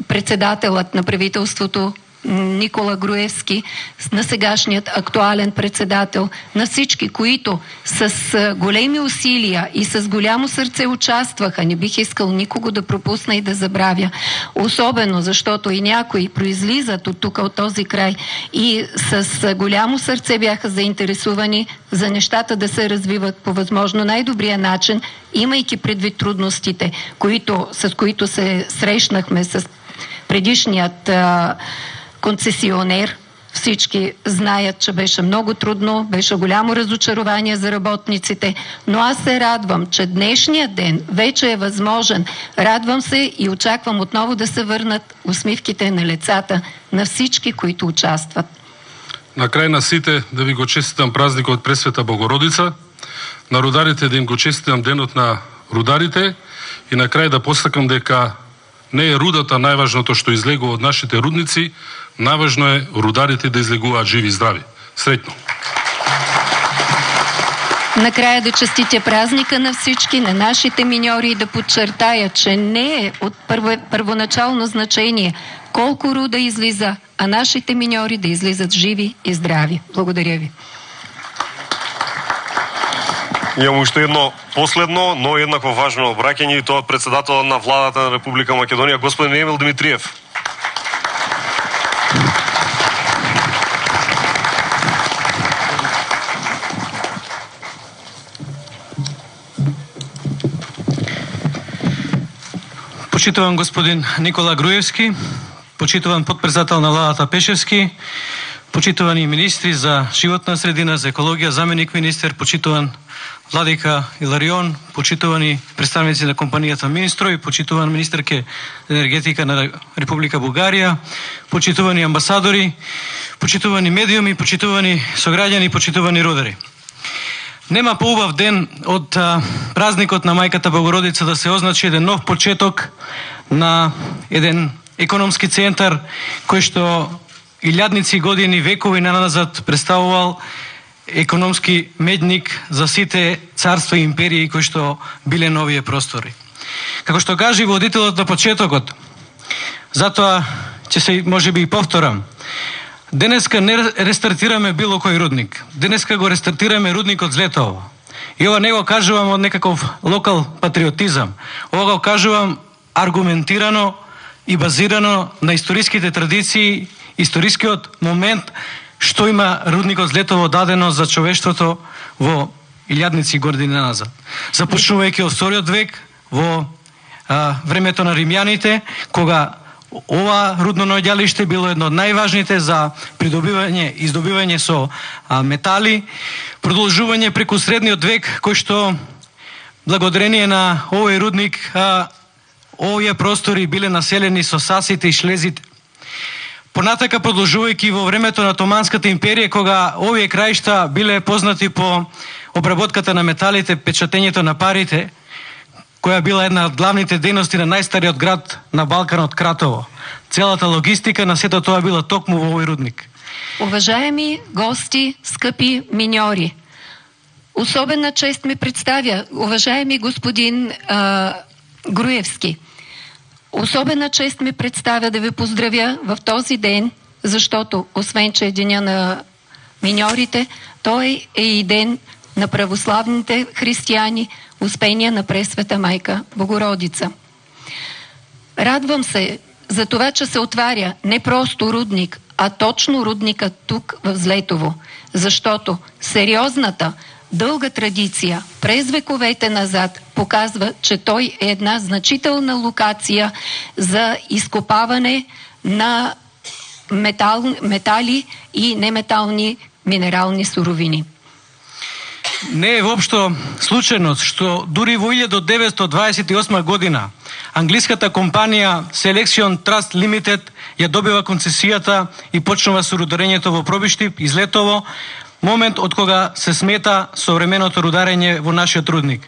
S5: председателът на правителството Никола Груевски, на сегашният актуален председател, на всички, които с големи усилия и с голямо сърце участваха. Не бих искал никого да пропусна и да забравя. Особено защото и някои произлизат от тук, от този край, и с голямо сърце бяха заинтересувани за нещата да се развиват по възможно най-добрия начин, имайки предвид трудностите, с които се срещнахме с предишният концесионер. Всички знаят, че беше много трудно, беше голямо разочарование за работниците, но аз се радвам, че днешният ден вече е възможен. Радвам се и очаквам отново да се върнат усмивките на лицата на всички, които участват.
S8: На крај на сите да ви го честитам празникот Пресвета Богородица, на рударите да им го честитам денот на рударите и на крај да посакам дека не е рудата најважното што излегува од нашите рудници, најважно е рударите да излегуваат живи и здрави. Среќно!
S5: Накрая да честитя празника на всички, на нашите миньори и да подчертая, че не е от първоначално значение колко руда излиза, а нашите миньори да излизат живи и здрави. Благодаря ви.
S3: Имам уште едно последно, но еднакво важно обраќање, и тоа од председателот на владата на Република Македонија, господин Емил Димитриев.
S9: Почитуван господин Никола Груевски, почитуван подпредседател на владата Пешевски, почитувани министри за животна средина, за екологија, заменик министер, почитуван Владика Иларион, почитувани представници на компанијата Минстрой, почитуван министерке за енергетика на Република Бугарија, почитувани амбасадори, почитувани медиуми, почитувани сограѓани, почитувани рудари. Нема поубав ден од празникот на Мајката Богородица да се означи еден нов почеток на еден економски центар кој што илјадници години, векови наназад представувал економски медник за сите царства и империи кои што биле на овие простори. Како што кажи водителот на почетокот, затоа ќе се можеби и повторам, денеска не рестартираме било кој рудник. Денеска го рестартираме рудникот Злетово. И ова не го кажувам од некаков локал патриотизам. Ова го кажувам аргументирано и базирано на историските традиции, историскиот момент што има рудникот Злетово дадено за човештвото во илјадници години назад. Започнувајќи од вториот век, во времето на римјаните, кога ова рудно наоѓалиште било едно од најважните за придобивање и издобивање со метали, продолжување преку средниот век, кој што благодарение на овој рудник овие простори биле населени со сасите и шлезите. Понатака продолжувајќи во времето на Отоманската империја, кога овие краишта биле познати по обработката на металите, печатењето на парите, која била една од главните дејности на најстариот град на Балканот, Кратово. Целата логистика на сето тоа била токму во овој рудник.
S5: Уважаеми гости, скъпи миньори, особена чест ми представя, уважаеми господин Груевски, особена чест ми представя да ви поздравя в този ден, защото освен, че е деня на миньорите, той е и ден на православните християни, Успения на Пресвета Майка Богородица. Радвам се за това, че се отваря не просто рудник, а точно рудника тук в Злетово, защото сериозната, дълга традиция през вековете назад показва, че той е една значителна локация за изкопаване на метали и неметални минерални суровини.
S9: Не е воопшто случайност што дури во 1928 година англиската компанија Selection Trust Limited ја добива концесијата и почнува со рударењето во Пробиштип и Злетово, момент од кога се смета современото рударење во нашиот рудник.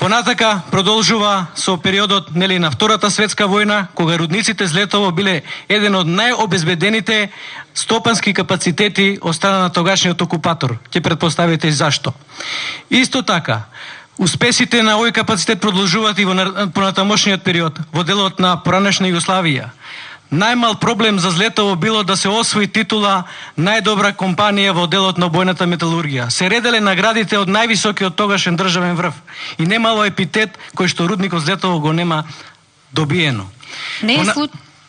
S9: Понатака продолжува со периодот на Втората светска војна, кога рудниците Злетово биле еден од најобезбедените стопански капацитети од страна на тогашниот окупатор. Ќе претпоставите зашто. Исто така, успесите на овој капацитет продолжуваат и во понатамошниот период, во делот на поранешна Југославија. Најмал проблем за Злетово било да се освои титула најдобра компанија во делот на бојната металургија. Се ределе наградите од највисокиот тогашен државен врв и немало епитет кој што рудникот Злетово го нема добиено.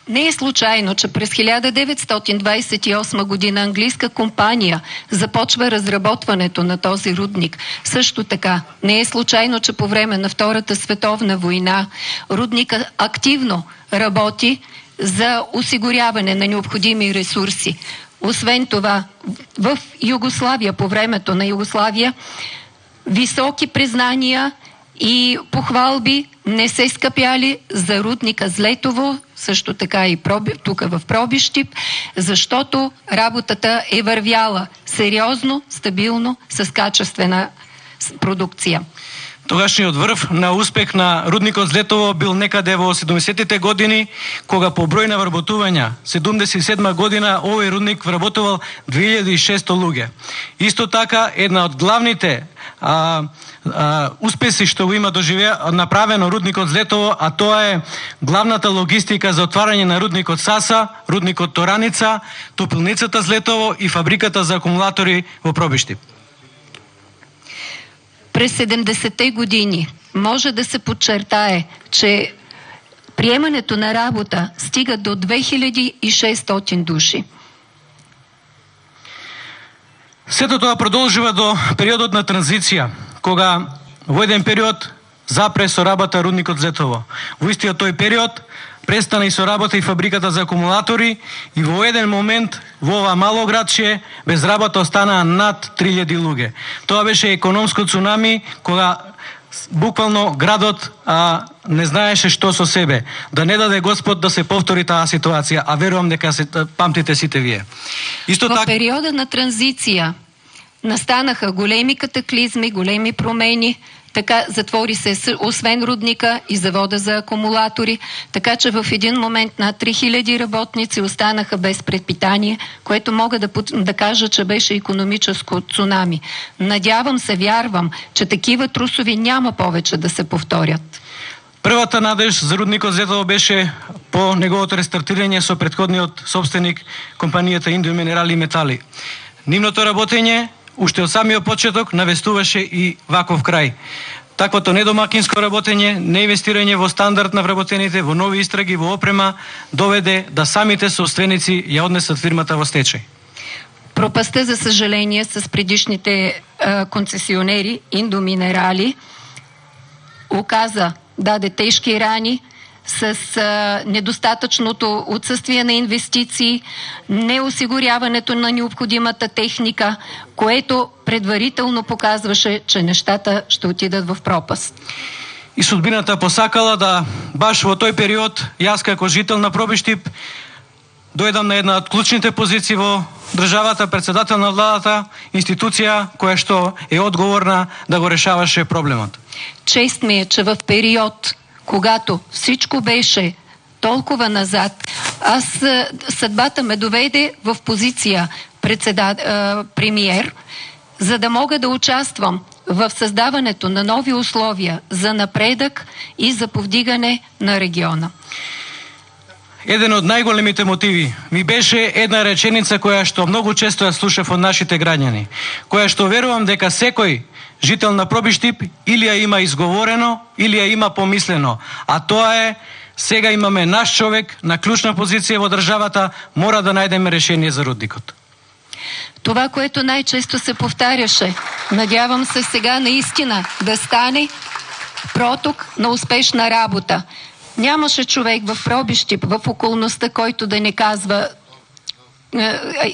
S5: Не е случайно, че през 1928 година английска компания започва разработването на този рудник. Също така, не е случайно, че по време на Втората световна война рудника активно работи за осигуряване на необходими ресурси. Освен това, в Югославия, по времето на Югославия, високи признания и похвалби не се скъпяли за рудника Злетово, също така и тук в Пробиштип, защото работата е вървяла сериозно, стабилно, с качествена продукция.
S9: Тогашниот врв на успех на рудникот Злетово бил некаде во 70-те години, кога по број на вработувања, 77 година, овој рудник вработувал 2600 луѓе. Исто така, една од главните успеси што го има направено рудникот Злетово, а тоа е главната логистика за отварање на рудникот Саса, рудникот Тораница, топилницата Злетово и фабриката за акумулатори во Пробиштип.
S5: През 70-те години може да се подчертае, че приемането на работа стига до 2600 души.
S9: Сето тоа продолжува до периодот на транзиција, кога во еден период запре со работа рудникот Злетово. Во истиот тој период престана и со работа и фабриката за акумулатори и во еден момент во ова мало градче без работа останаа над 3000 луѓе. Тоа беше економско цунами, кога буквално градот не знаеше што со себе. Да не даде Господ да се повтори таа ситуација, а верувам дека се памтите сите вие.
S5: Во периода на транзиција настанаха големи катаклизми, големи промени. Така затвори се освен рудника и завода за акумулатори, така че в един момент над 3000 работници останаха без предпитание, което мога да кажа, че беше икономическо цунами. Надявам се, вярвам, че такива трусови няма повече да се повторят.
S9: Првата надеж за рудникот Злетово беше по неговото рестартирање со претходниот собственик, компанијата Индоминерали и метали. Нивното работење уште од самиот почеток навестуваше и ваков крај. Таквото недомакинско работење, неинвестирање во стандард на вработените, во нови истраги, во опрема, доведе да самите собственици ја однесат фирмата во стечај.
S5: Пропаста, за съжаление, с предишните концесионери Индоминерали даде тежки рани, с недостатъчното отсъствие на инвестиции, неосигуряването на необходимата техника, което предварително показваше, че нещата ще отидат в пропаст.
S9: И судбината посакала да баш во тој период, јас како жител на Пробиштип, дојдам на една од клучните позиции во државата, председател на владата, институција која што е одговорна да го решаваше проблемот.
S5: Чест ми е, че в период, когато всичко беше толкова назад, Съдбата ме доведе в позиция премиер, за да мога да участвам в създаването на нови условия за напредък и за повдигане на региона.
S9: Еден од најголемите мотиви ми беше една реченица која што многу често ја слушав од нашите граѓани, која што верувам дека секој жител на Пробиштип или ја има изговорено, или ја има помислено, а тоа е: сега имаме наш човек на клучна позиција во државата, мора да најдеме решение за рудникот.
S5: Това, което най-често се повтаряше, надявам се сега наистина да стане проток на успешна работа. Нямаше човек в Пробиштип, в околността, който да не казва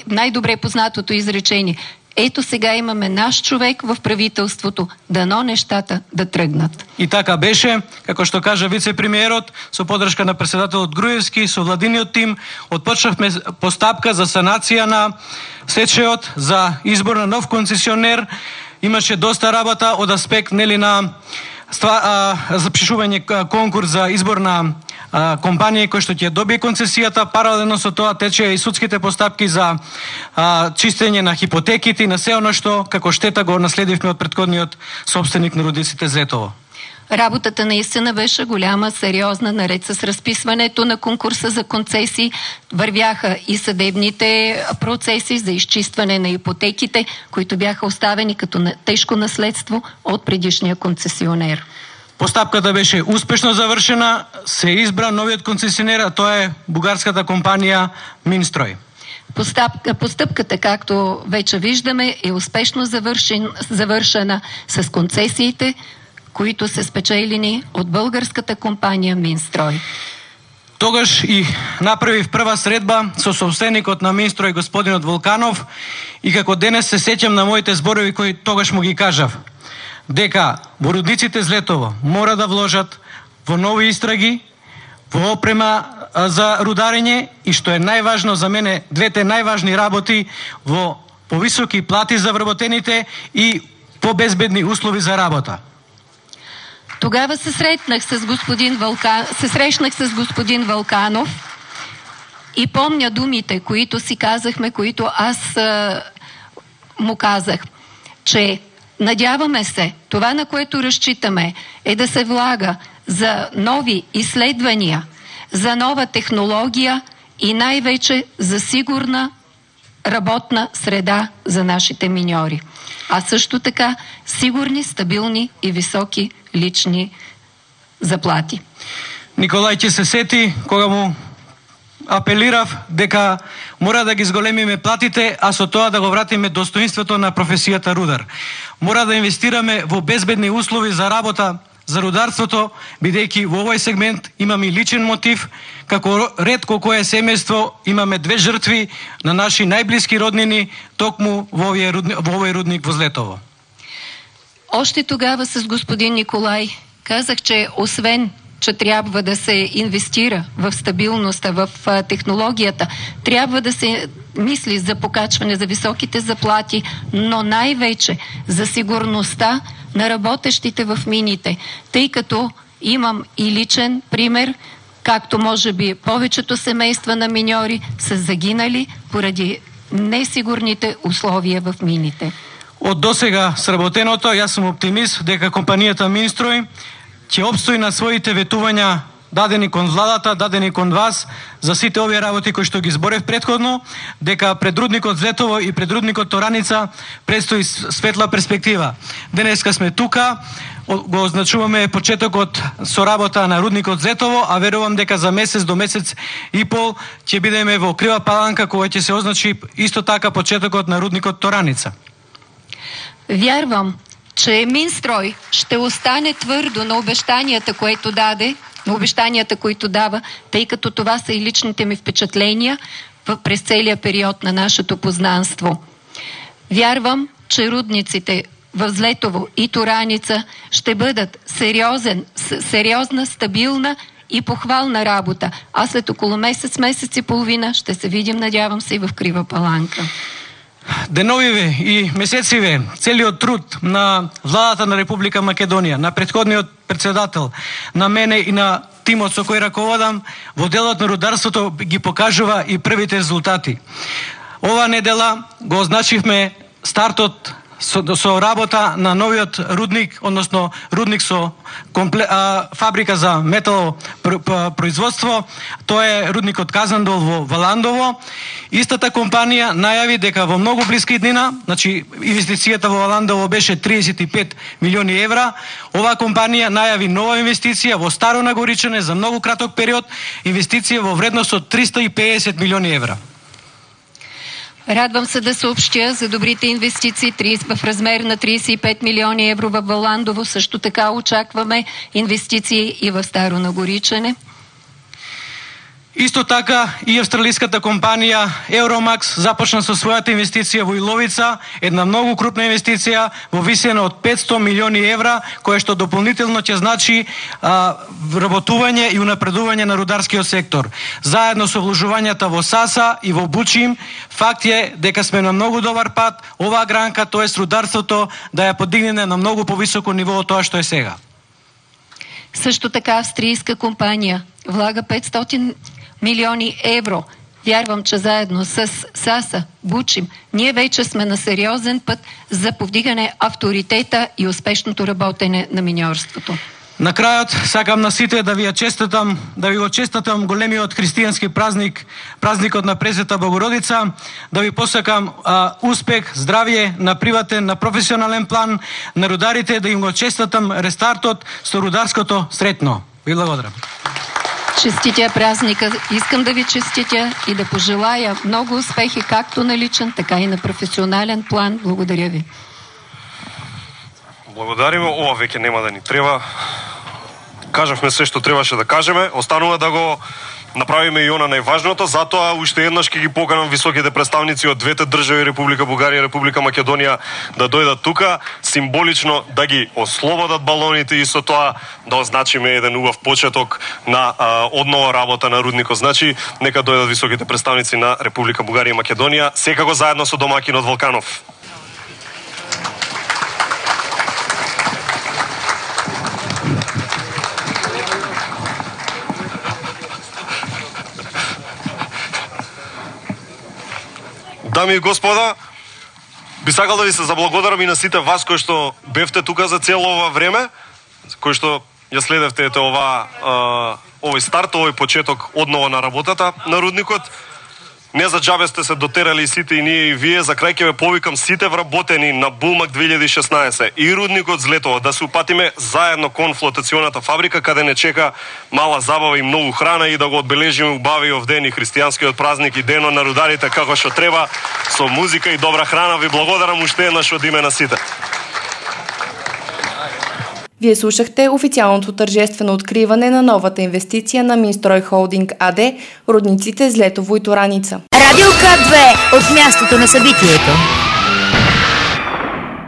S5: най-добре познатото изречение: ето сега имаме наш човек в правителството, дано нещата да тръгнат.
S9: И така беше, како што кажа вице-премиерот, со подршка на председателот Груевски, со владиниот тим, отпочнавме постапка за санација на сечеот, за избор на нов концесионер. Имаше доста работа од аспект на запишување конкурс за избор на компанија кој што ќе добие концесијата. Паралелно со тоа течеа и судските постапки за чистење на хипотеките и на се оно што како штета го наследивме од претходниот собственик на рудниците Злетово.
S5: Работата наистина беше голяма, сериозна. Наред с разписването на конкурса за концесии вървяха и съдебните процеси за изчистване на ипотеките, които бяха оставени като тежко наследство от предишния концесионер.
S9: Постапката беше успешно завршена, се избра новиот концесионер, а тоа е бугарската компанија Минстрой.
S5: Постъпката, както вече виждаме, е успешно завършена с концесиите, които се спечелени от българската компанија Минстрой.
S9: Тогаш и направив прва средба со собственикот на Минстрой, господинот Волканов, и како денес се сеќам на моите зборови кои тогаш му ги кажав, дека во рудниците Злетово мора да вложат во нови истраги, во опрема за рударење и, што е најважно за мене, двете најважни работи, во повисоки плати за вработените и по-безбедни услови за работа.
S5: Тогава се срещнах с господин Вълканов и помня думите, които си казахме, които аз му казах, че надяваме се, това, на което разчитаме, е да се влага за нови изследвания, за нова технология и най-вече за сигурна работна среда за нашите миньори. А също така сигурни, стабилни и високи лични заплати.
S9: Николај ќе се сети кога му апелирав дека мора да ги зголемиме платите, а со тоа да го вратиме достоинството на професијата рудар. Мора да инвестираме во безбедни услови за работа за рударството, бидејќи во овој сегмент имаме и личен мотив, како ретко кое семејство имаме две жртви на наши најблиски роднини токму во овој рудник во Злетово.
S5: Още тогава с господин Николай казах, че освен че трябва да се инвестира в стабилността, в технологията, трябва да се мисли за покачване, за високите заплати, но най-вече за сигурността на работещите в мините, тъй като имам и личен пример, както може би повечето семейства на миньори са загинали поради несигурните условия в мините.
S9: Од досега сработеното, јас сум оптимист дека компанијата Минстрой ќе обстои на своите ветувања дадени кон владата, дадени кон вас за сите овие работи кои што ги зборев претходно, дека пред рудникот Злетово и пред рудникот Тораница предстои светла перспектива. Денеска сме тука, го означуваме почетокот со работа на рудникот Злетово, а верувам дека за месец до месец и пол ќе бидеме во Крива Паланка, кога ќе се означи исто така почетокот на рудникот Тораница.
S5: Вярвам, че Минстрой ще остане твърдо на обещанията, които дава, тъй като това са и личните ми впечатления през целия период на нашето познанство. Вярвам, че рудниците в Злетово и Тораница ще бъдат сериозна, стабилна и похвална работа. А след около месец и половина ще се видим, надявам се, и в Крива Паланка.
S9: деновиве и месециве целиот труд на владата на Република Македонија, на претходниот председател, на мене и на тимот со кој раководам во делот на рударството ги покажува и првите резултати. Ова недела го означивме стартот со работа на новиот рудник, односно рудник со фабрика за метал производство. Тоа е рудникот Казандол во Валандово. Истата компанија најави дека во многу блиска иднина, значи инвестицијата во Валандово беше 35 милиони евра, оваа компанија најави нова инвестиција во Старо Нагоричане за многу краток период, инвестиција во вредност од 350 милиони евра.
S5: Радвам се да съобщя за добрите инвестиции в размер на 35 милиони евро в Валандово. Също така очакваме инвестиции и в Старо Нагоричане.
S9: Исто така и австралиската компанија Euromax започна со својата инвестиција во Иловица, една многу крупна инвестиција во висина од 500 милиони евра, која што дополнително ќе значи вработување и унапредување на рударскиот сектор. Заедно со вложувањата во Саса и во Бучим, факт е дека сме на многу добар пат оваа гранка, тоест рударството, да ја подигне на многу повисоко ниво од тоа што е сега.
S5: Също така австрийска компания влага 500 милиони евро. Вярвам, че заедно с САСА, Бучим, ние вече сме на сериозен път за повдигане авторитета и успешното работене на миньорството.
S9: На крајот сакам на сите да ви го честитам големиот христијански празник, празникот на Пресвета Богородица, да ви посакам успех, здравје на приватен, на професионален план, на рударите, да им го честитам рестартот со рударското сретно. Ви благодарам.
S5: Честитя празника. Искам да ви честитя и да пожелая много успехи, както на личен, така и на професионален план. Благодаря ви.
S3: Благодариме. Ова веќе нема да ни треба. Кажавме се што требаше да кажеме. Останува да го направиме и она најважното, затоа уште еднаш ќе ги поканам високите представници од двете држави, Република Бугарија и Република Македонија, да дојдат тука, символично да ги ослободат балоните и со тоа да означиме еден убав почеток на однова работа на рудникот. Значи, нека дојдат високите представници на Република Бугарија и Македонија, секако заедно со домакинот Валканов. Дами и господа, би сакал да ви се заблагодарам и на сите вас кои што бевте тука за цело ова време, кои што ја следевте овој старт, овој почеток однова на работата на рудникот. Не за џабе сте се дотерали сите и ние и вие. За крај ќе ве повикам сите вработени на Булмак 2016 и рудникот Злетово да се упатиме заедно кон флотационата фабрика, каде не чека мала забава и многу храна, и да го одбележиме убавиот ден и христијанскиот празник и денот на рударите како што треба, со музика и добра храна. Ви благодарам уште еднаш од име на сите.
S2: Вие слушахте официалното тържествено откриване на новата инвестиция на Минстрой Холдинг АД, рудниците Злетово и Тураница.
S1: Радио К2 от мястото на събитието.